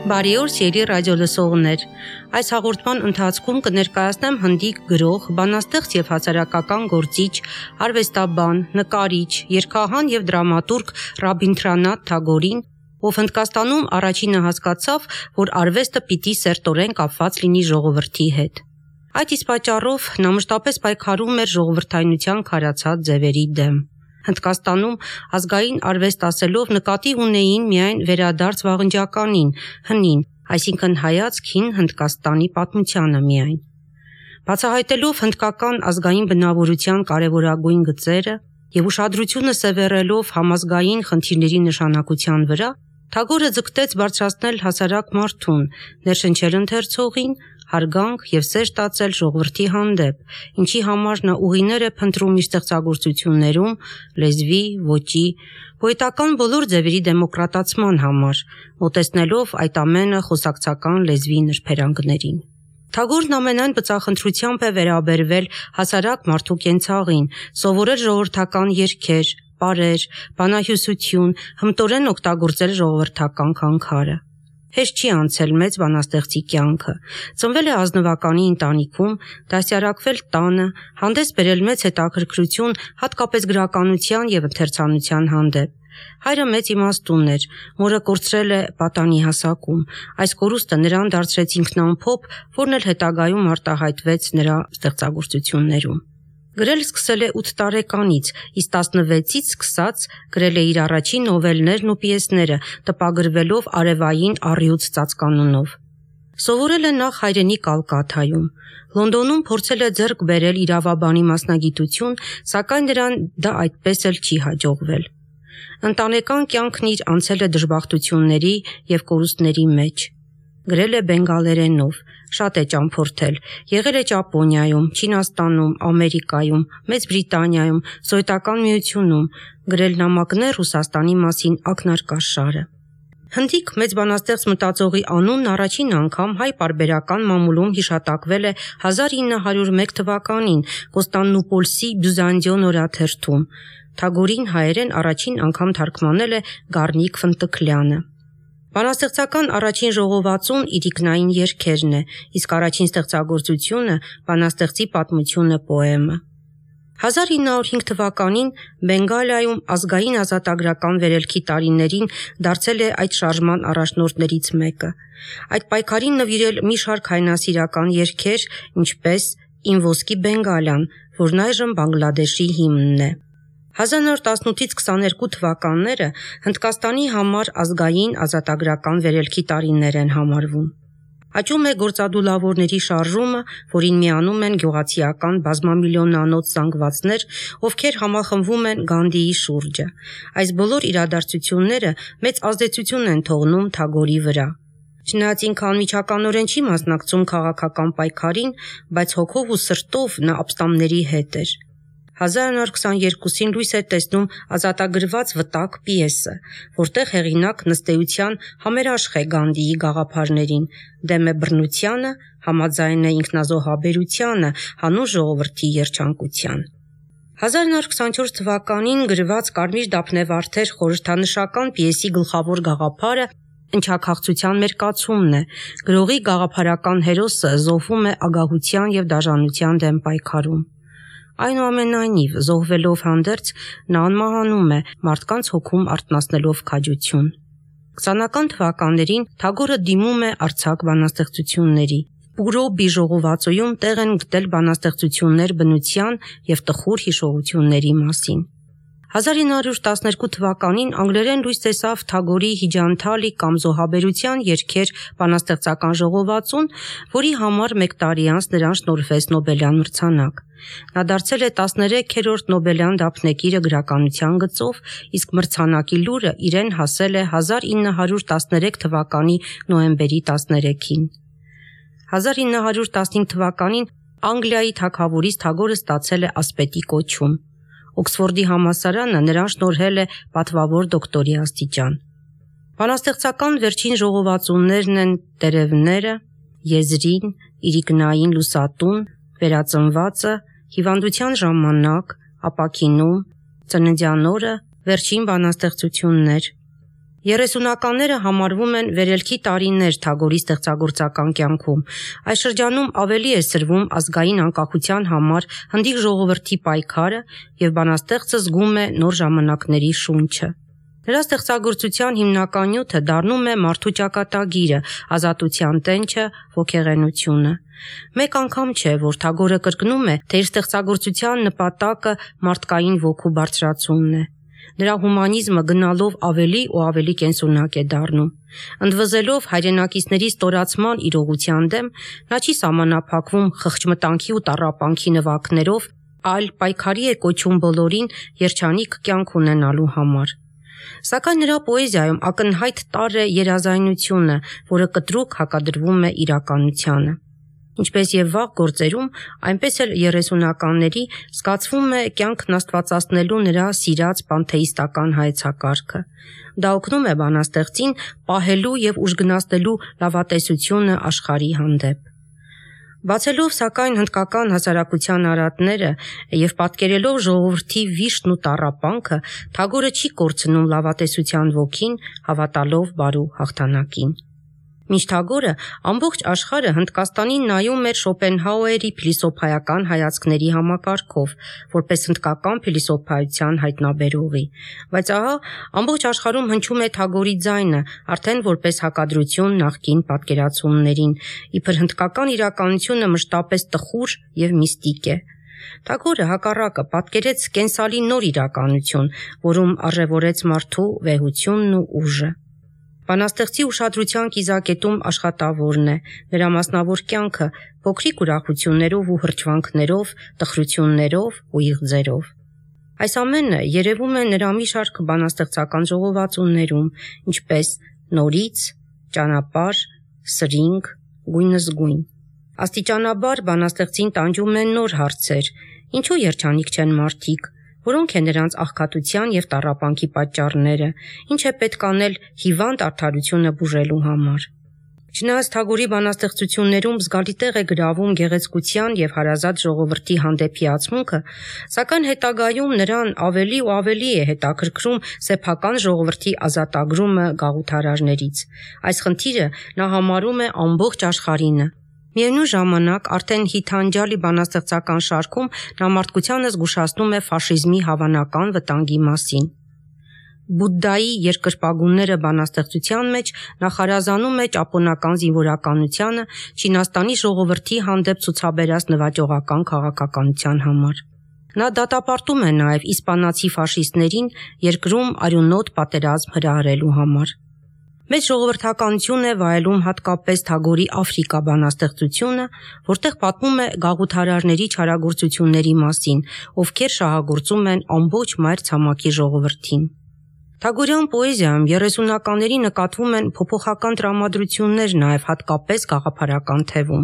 Բարի օր, սիրելի ռադիոլսողներ։ Այս հաղորդման ընթացքում կներկայացնեմ հնդիկ գրող, բանաստեղծ եւ հասարակական գործիչ, արվեստաբան, նկարիչ, երգահան եւ դրամատուրգ Ռաբինդրանաթ Թագորին, ով Հնդկաստանում առաջինը հասկացավ, որ արվեստը պիտի սերտորեն կապված լինի ժողովրդի հետ։ Այդ իսկ պատճառով նա մշտապես պայքարում էր ժողովրդայնության քարացած ձևերի դեմ։ Հնդկաստանում ազգային արվեստ ասելով նկատի ունեին միայն վերադարձ վաղնջականին, հնին, այսինքն հայացք հին Հնդկաստանի պատմությանը միայն։ Բացահայտելով հնդկական ազգային բնավորության կարևորագույն գծերը եւ ուշադրությունը սևեռելով համազգային խնդիրների նշանակության վրա, Թագորը ձգտեց բարձրացնել հասարակ մարդուն, ներշնչել ընթերցողին, հարգանք եւ սեր տածել ժողովրդի հանդեպ, ինչի համար նա ուղիներ է փնտրում իր ստեղծագործություններում լեզվի, ոճի, պոետական բոլոր ձևերի դեմոկրատացման համար, մոտեցնելով այդ ամենը խոսակցական լեզվի նրբերանգներին։ Թագորն ամենայն բծախնդրությամբ է վերաբերվել հասարակ մարդու կենցաղին, սովորել ժողովրդական երգեր, պարեր, բանահյուսություն, հմտորեն օգտագործել ժողովրդական քանքարը։ Հեշտ չի անցել մեծ բանաստեղծի կյանքը, ծնվել է ազնվականի ընտանիքում, դասյարակվել տանը, հանդես բերել մեծ հետաքրքրություն հատկապես գրականության եւ ընթերցանության հանդեպ։ Հայրը մեծ իմաստուն էր, մորը կորցրել է պատանի հասակում, այս կորուստը նրան դարձրեց ինքնամփոփ, որն էլ հետագայում արտահայտվեց նրա ստեղծագործություններում։ Գրել սկսել է 8 տարեկանից, իսկ 16-ից սկսած գրել է իր առաջին նովելներն ու պիեսները, տպագրվելով արևային առյուծ ծածկանունով։ Սովորել է նախ հայրենի Կալկաթայում։ Լոնդոնում փորձել է ձեռք բերել իրավաբանի մասնագիտություն, սակայն նրան դա այդպես էլ չի հաջողվել։ Ընտանեկան կյանքն իր անցել է դժբախտությունների եւ կորուստների մեջ։ Գրել է բենգալերենով, շատ է ճամփորդել, եղել է Ճապոնիայում, Չինաստանում, Ամերիկայում, Մեծ Բրիտանիայում, Սովետական Միությունում, գրել նամակներ Ռուսաստանի մասին ակնարկաշարը։ Հնդիկ մեծ բանաստեղծ մտածողի անունն առաջին անգամ հայ պարբերական մամուլում հիշատակվել է 1901 թվականին Կոստանդնուպոլսի Բյուզանդիոն օրաթերթում։ Թագորին հայերեն առաջին անգամ թարգմանել է Գառնիկ Ֆնտկլյանը։ Բանաստեղծական առաջին ժողովածուն իրիկնային երգերն է, իսկ առաջին ստեղծագործությունը բանաստեղծի պատմությունը պոեմը։ 1905 թվականին Բենգալիայում ազգային ազատագրական վերելքի տարիներին դարձել է այդ շարժման առաջնորդներից մեկը։ Այդ պայքարին նվիրել մի շարք հայնասիրական երգեր, ինչպես «Իմ ոսկի Բենգալիան», որն այժմ Բանգլադեշի հիմնն է։ 1918-ից 22 թվականները Հնդկաստանի համար ազգային ազատագրական վերելքի տարիներ են համարվում։ Աճում է գործադուլավորների շարժումը, որին միանում են գյուղացիական բազմամիլիոնանոց զանգվածներ, ովքեր համախմբվում են Գանդիի շուրջը։ Այս բոլոր իրադարձությունները մեծ ազդեցություն են թողնում Թագորի վրա։ Չնայած ինքը անմիջականորեն չի մասնակցում քաղաքական պայքարին, բայց հոգով ու սրտով նա ապստամբների հետ էր։ 1922-ին լույս է տեսնում ազատագրված վտակ պիեսը, որտեղ հեղինակ նստեության համերաշխ է Գանդիի գաղափարներին, դեմ է բռնությանը, համաձայն է ինքնազոհաբերությանը, հանուն ժողովրդի երջանկության։ 1924 թվականին գրված Կարմիր դափնեվարդեր խորհրդանշական պիեսի գլխավոր գաղափարը ընչաքաղցության մերկացումն է, գրողի գաղափարական հերոսը զոհվում է ագահության եւ դաժանության դեմ պայքարում։ Այնուամենայնիվ, զոհվելով հանդերձ, նա անմահանում է, մարդկանց հոգում արթնացնելով քաջություն։ 20-ական թվականներին Թագորը դիմում է արձակ բանաստեղծությունների։ Պուրոբի ժողովածոյում տեղ են գտել բանաստեղծություններ բնության եւ տխուր հիշողությունների մասին։ 1912 թվականին անգլերեն լույս տեսավ Թագորի Հիջանթալի կամ զոհաբերության երգեր բանաստեղծական ժողովածուն, որի համար 1 տարի անց նրան շնորհվեց Նոբելյան մրցանակ։ Նա դարձել է 13-րդ Նոբելյան դափնեկիրը գրականության գծով, իսկ մրցանակի լուրը իրեն հասել է 1913 թվականի նոյեմբերի 13-ին։ 1915 թվականին Անգլիայի թագավորից Թագորը ստացել է ասպետի կոչում։ Օքսֆորդի համալսարանը նրան շնորհել է պատվավոր դոկտորի աստիճան։ Բանաստեղծական վերջին ժողովածուներն են Տերևները, Եզրին, Իրիկնային լուսատուն, Վերածնվածը, Հիվանդության ժամանակ, Ապաքինում, Ծննդյան օրը, Վերջին բանաստեղծություններ։ 30-ականները համարվում են վերելքի տարիներ Թագորի ստեղծագործական կյանքում։ Այս շրջանում ավելի է սրվում ազգային անկախության համար հնդիկ ժողովրդի պայքարը եւ բանաստեղծը զգում է նոր ժամանակների շունչը։ Նրա ստեղծագործության հիմնական նյութը դառնում է մարդու ճակատագիրը, ազատության տենչը, ոգեղենությունը։ Մեկ անգամ չէ, որ Թագորը կրկնում է, թե իր ստեղծագործության նպատակը մարդկային ոգու բարձրացումն է։ Նրա հումանիզմը գնալով ավելի ու ավելի կենսունակ է դառնում։ Ընդվզելով հայրենակիցների ստորացման իրողության դեմ, նա չի սահմանափակվում խղճմտանքի ու տառապանքի նվագներով, այլ պայքարի է կոչում բոլորին երջանիկ կյանք ունենալու համար։ Սակայն նրա պոեզիայում ակնհայտ տար է երազայնությունը, որը կտրուկ հակադրվում է իրականությանը։ Ինչպես եւ վաղ գործերում, այնպես էլ 30-ականների զգացվում է կյանքն աստվածացնելու նրա սիրած պանթեիստական հայեցակարգը։ Դա օգնում է բանաստեղծին պահելու եւ ուժգնացնելու լավատեսությունը աշխարհի հանդեպ։ Բացելով սակայն հնդկական հասարակության արատները եւ պատկերելով ժողովրդի վիշտն ու տառապանքը, Թագորը չի կորցնում լավատեսության ոգին, հավատալով բարու հաղթանակին։ Մինչ Թագորը ամբողջ աշխարհը Հնդկաստանին նայում էր Շոպենհաուերի փիլիսոփայական հայացքների համակարգով, որպես հնդկական փիլիսոփայության հայտնաբերողի, բայց ահա ամբողջ աշխարհում հնչում է Թագորի ձայնը, արդեն որպես հակադրություն նախկին պատկերացումներին, իբր հնդկական իրականությունը մշտապես տխուր եւ միստիկ է։ Թագորը հակառակը պատկերեց կենսալի նոր իրականություն, որում արժևորեց մարդու վեհությունն ու ուժը։ Բանաստեղծի ուշադրության կիզակետում աշխատավորն է, նրա մասնավոր կյանքը փոքրիկ ուրախություններով ու հրճվանքներով, տխրություններով ու իղձերով։ Այս ամենը երևում է նրա մի շարք բանաստեղծական ժողովածուներում, ինչպես նորից, ճանապարհ, սրինգ, գույնզգույն։ Աստիճանաբար բանաստեղծին տանջում են նոր հարցեր, ինչու երջանիկ չեն մարդիկ, որոնք են նրանց աղքատության եւ տառապանքի պատճառները, ինչ է պետք անել հիվանդ արդարությունը բուժելու համար։ Չնայած Թագորի բանաստեղծություններում զգալի տեղ է գրավում գեղեցկության եւ հարազատ ժողովրդի հանդեպ հիացմունքը, սակայն հետագայում նրան ավելի ու ավելի է հետաքրքրում սեփական ժողովրդի ազատագրումը գաղութարարներից։ Այս խնդիրը նա համարում է ամբողջ աշխարհինը։ Միևնույն ժամանակ արդեն հիթանջալի բանաստեղծական շարքում նա մարդկությանը զգուշացնում է ֆաշիզմի հավանական վտանգի մասին։ Բուդդայի երկրպագունները բանաստեղծության մեջ նախարազանում է ճապոնական զինվորականությանը Չինաստանի ժողովրդի հանդեպ ցուցաբերած նվաճողական քաղաքականության համար։ Նա դատապարտում է նաև իսպանացի ֆաշիստներին երկրում արյունոտ պատերազմ հրահրելու համար։ Մեծ ժողովրդականություն է վայելում հատկապես Թագորի Աֆրիկա բանաստեղծությունը, որտեղ պատմում է գաղութարարների չարագործությունների մասին, ովքեր շահագործում են ամբողջ մայր ցամաքի ժողովրդին։ Թագորյան պոեզիայում 30-ականների նկատվում են փոփոխական տրամադրություններ նաև հատկապես գաղափարական թևում։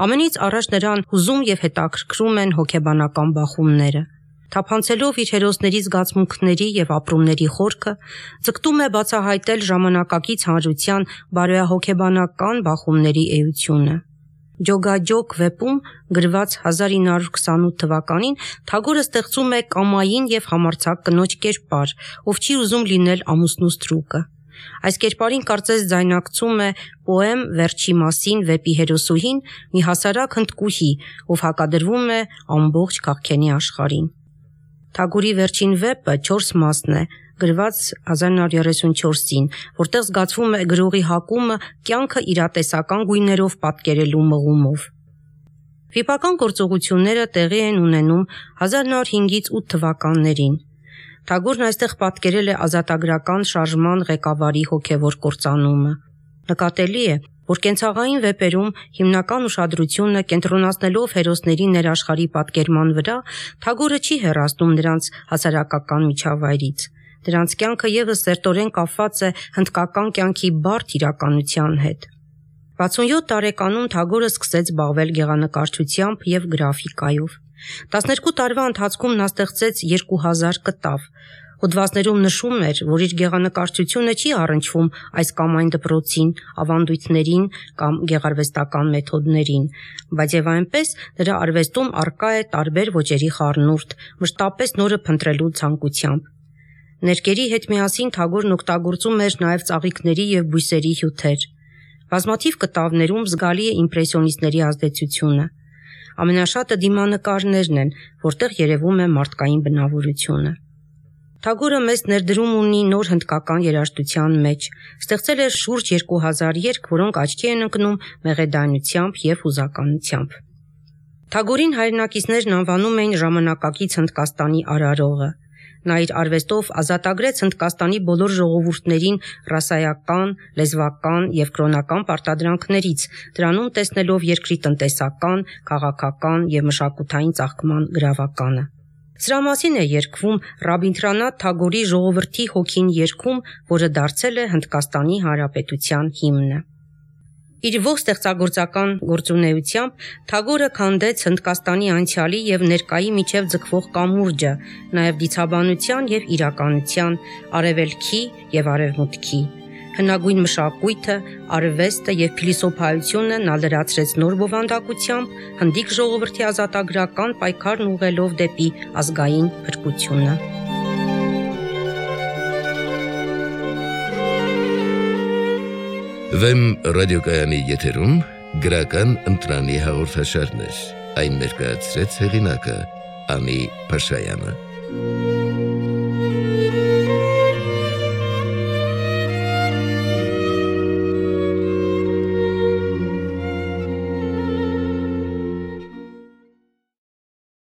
Ամենից առաջ նրան հուզում եւ հետաքրքրում են հոգեբանական բախումները։ Թափանցելով իր հերոսների զգացմունքների եւ ապրումների խորքը, ձգտում է բացահայտել ժամանակակից հանրության բարոյահոգեբանական բախումների էությունը։ Ջոգաջոգ վեպում գրված 1928 թվականին Թագորը ստեղծում է կամային եւ համարձակ կնոջ կերպար, ով չի ուզում լինել ամուսնու ստրուկը։ Այս կերպարին կարծես ձայնակցում է պոեմ «Վերջի մասին» վեպի հերոսուհին, մի հասարակ հնդկուհի, ով հակադրվում է ամբողջ քաղքենի աշխարհին։ Թագորի վերջին վեպը 4 մասն է, գրված 1934-ին, որտեղ զգացվում է գրողի հակումը կյանքը իրատեսական գույներով պատկերելու մղումով։ Վիպական գործողությունները տեղի են ունենում 1905-ից 8 թվականներին։ Թագորն այստեղ պատկերել է ազատագրական շարժման ղեկավարի հոգևոր կործանումը։ Նկատելի է, որ կենցաղային վեպերում հիմնական ուշադրությունը կենտրոնացնելով հերոսների ներաշխարհի պատկերման վրա, Թագորը չի հեռացնում նրանց հասարակական միջավայրից։ Դրանց կյանքը ևս սերտորեն կապված է հնդկական կյանքի բարդ իրականության հետ։ 67 տարեկանում Թագորը սկսեց զբաղվել գեղանկարչությամբ եւ գրաֆիկայով։ 12 տարվա ընթացքում նա ստեղծեց 2000 կտավ։ Հոդվածներում նշում էր, որ իր գեղանկարչությունը չի առնչվում այս կամ այն դպրոցին, ավանդույթներին կամ գեղարվեստական մեթոդներին, բայց եւ այնպես նրա արվեստում առկա է տարբեր ոճերի խառնուրդ, մշտապես նորը փնտրելու ցանկությամբ։ Ներկերի հետ միասին Թագորն օգտագործում էր նաև ծաղիկների և բույսերի հյութեր։ Բազմաթիվ կտավներում զգալի է իմպրեսիոնիստների ազդեցությունը։ Ամենաշատը դիմանկարներն են, որտեղ երևում է մարդկային բնավորությունը։ Թագորը մեծ ներդրում ունի նոր հնդկական երաժշտության մեջ, ստեղծել է շուրջ 2000 երգ, որոնք աչքի են ընկնում մեղեդայնությամբ և հուզականությամբ։ Թագորին հայրենակիցներն անվանում էին ժամանակակից Հնդկաստանի արարողը։ Նա իր արվեստով ազատագրեց Հնդկաստանի բոլոր ժողովուրդներին ռասայական, լեզվական և կրոնական պարտադրանքներից, դրանում տեսնելով երկրի տնտեսական, քաղաքական և մշակութային ծաղկման գրավականը։ Սրա մասին է երգվում Ռաբինդրանաթ Թագորի «Ժողովրդի հոգին» երգում, որը դարձել է Հնդկաստանի Հանրապետության հիմնը։ Իր ողջ ստեղծագործական գործունեությամբ Թագորը քանդեց Հնդկաստանի անցյալի և ներկայի միջև ձգվող կամուրջը, նաև դիցաբանության և իրականության, արևելքի և արևմուտքի։ Հնագույն մշակույթը, արվեստը և փիլիսոփայությունը նա լրացրեց նոր բովանդակությամբ, հնդիկ ժողովրդի ազատագրական պայքարն ուղղելով դեպի ազգային փրկությունը։ Վեմ ռադիոկայանի եթերում գրական ընտրանի հաղորդաշարներ։ Այն ներկայացրեց հեղինակը Անի Փաշայանը։